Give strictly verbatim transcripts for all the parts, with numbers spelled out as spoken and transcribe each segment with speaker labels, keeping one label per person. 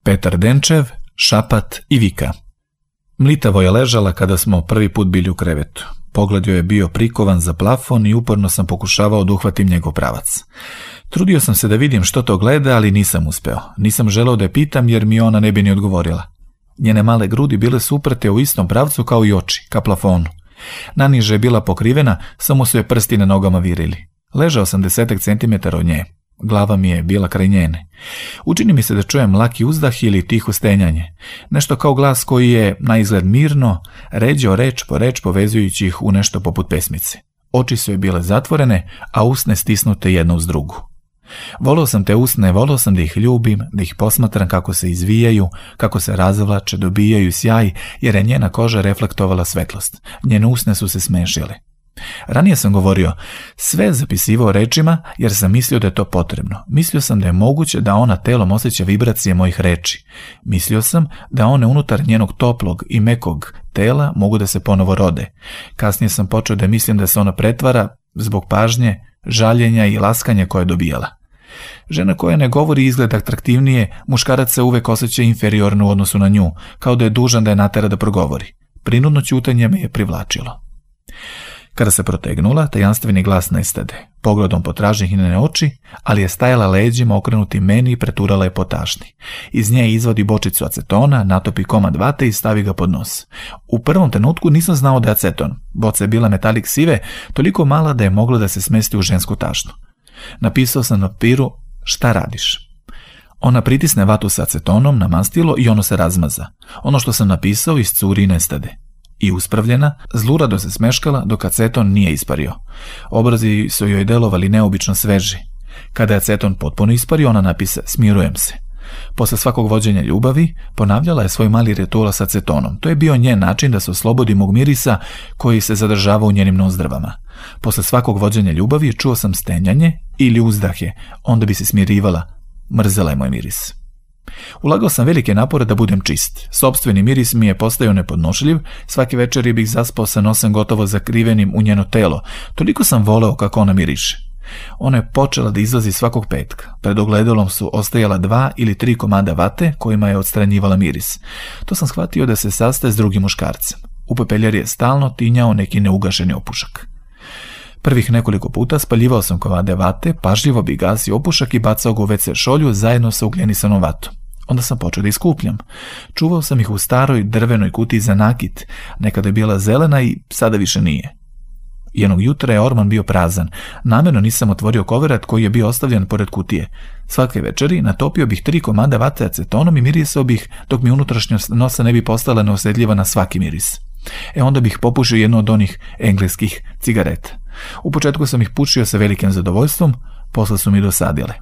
Speaker 1: Petar Denčev, Šapat i Vika. Mlitavo je ležala kada smo prvi put bili u krevetu. Pogled joj je bio prikovan za plafon i uporno sam pokušavao da uhvatim njegov pravac. Trudio sam se da vidim što to gleda, ali nisam uspeo. Nisam želeo da je pitam jer mi ona ne bi ni odgovorila. Njene male grudi bile su uprte u istom pravcu kao i oči, ka plafonu. Naniže je bila pokrivena, samo su je prsti na nogama virili. Ležao sam desetak centimetara od nje. Glava mi je bila kraj njene. Učini mi se da čujem laki uzdah ili tiho stenjanje. Nešto kao glas koji je, na izgled mirno, ređao reč po reč povezujući ih u nešto poput pesmice. Oči su je bile zatvorene, a usne stisnute jedna uz drugu. Voleo sam te usne, voleo sam da ih ljubim, da ih posmatram kako se izvijaju, kako se razvlače, dobijaju sjaj, jer je njena koža reflektovala svetlost. Njene usne su se smešile. Ranije sam govorio, sve zapisivao rečima jer sam mislio da je to potrebno. Mislio sam da je moguće da ona telom osjeća vibracije mojih reči. Mislio sam da one unutar njenog toplog i mekog tela mogu da se ponovo rode. Kasnije sam počeo da mislim da se ona pretvara zbog pažnje, žaljenja i laskanja koje je dobijala. Žena koja ne govori izgleda atraktivnije, muškarac se uvek osjeća inferiorno u odnosu na nju, kao da je dužan da je natera da progovori. Prinudno ćutanje me je privlačilo. Kada se protegnula, tajanstveni glas nestade. Pogledom potraži njene oči, ali je stajala leđima okrenuti meni i preturala je po tašni. Iz nje izvadi bočicu acetona, natopi komad vate i stavi ga pod nos. U prvom trenutku nisam znao da je aceton. Boca je bila metalik sive, toliko mala da je mogla da se smesti u žensku tašnu. Napisao sam na papiru, šta radiš? Ona pritisne vatu sa acetonom na mastilo i ono se razmaza. Ono što sam napisao iscuri i nestade. I uspravljena, zlurado se smeškala dok aceton nije ispario. Obrazi su joj delovali neobično sveži. Kada je aceton potpuno ispario, ona napisa smirujem se. Posle svakog vođenja ljubavi, ponavljala je svoj mali ritual sa acetonom. To je bio njen način da se oslobodi mog mirisa koji se zadržava u njenim nozdrvama. Posle svakog vođenja ljubavi čuo sam stenjanje ili uzdahe, onda bi se smirivala. Mrzela je moj miris. Ulagao sam velike napore da budem čist. Sopstveni miris mi je postajao nepodnošljiv, svake večeri bih zaspao sa nosem gotovo zakrivenim u njeno telo. Toliko sam voleo kako ona miriše. Ona je počela da izlazi svakog petka. Pred ogledalom su ostajala dva ili tri komada vate kojima je odstranjivala miris. To sam shvatio da se sastaje s drugim muškarcem. U pepeljari je stalno tinjao neki neugašeni opušak. Prvih nekoliko puta spaljivao sam komade vate, pažljivo bi gasio opušak i bacao ga u ve ce šolju zajedno sa ugljenisanom vatom. Onda sam počeo da iskupljam. Čuvao sam ih u staroj drvenoj kutiji za nakit. Nekada je bila zelena i sada više nije. Jednog jutra je orman bio prazan. Namerno nisam otvorio koverat koji je bio ostavljen pored kutije. Svake večeri natopio bih tri komada vate acetonom i mirisao bih dok mi unutrašnjost nosa ne bi postala neosjetljiva na svaki miris. E onda bih popušio jednu od onih engleskih cigareta. U početku sam ih pušio sa velikim zadovoljstvom, posle su mi dosadile.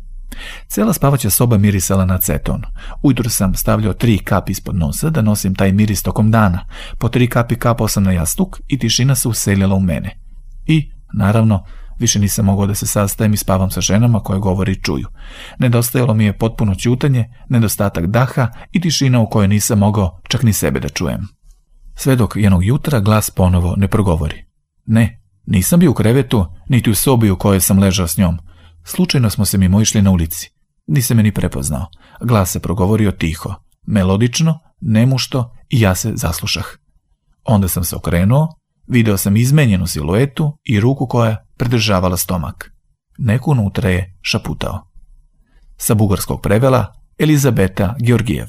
Speaker 1: Cela spavaća soba mirisala na aceton. Ujutro sam stavljao tri kapi ispod nosa da nosim taj miris tokom dana. Po tri kapi kapao sam na jastuk i tišina se uselila u mene. I, naravno, više nisam mogao da se sastajem i spavam sa ženama koje govori i čuju. Nedostajalo mi je potpuno ćutanje, nedostatak daha i tišina u kojoj nisam mogao čak ni sebe da čujem. Sve dok jednog jutra glas ponovo ne progovori. Ne, nisam bio u krevetu, niti u sobi u kojoj sam ležao s njom. Slučajno smo se mimo išli na ulici. Nisam me ni prepoznao. Glas se progovorio tiho, melodično, nemušto i ja se zaslušah. Onda sam se okrenuo, video sam izmenjenu siluetu i ruku koja pridržavala stomak. Neko unutra je šaputao. Sa bugarskog prevela Elizabeta Georgijev.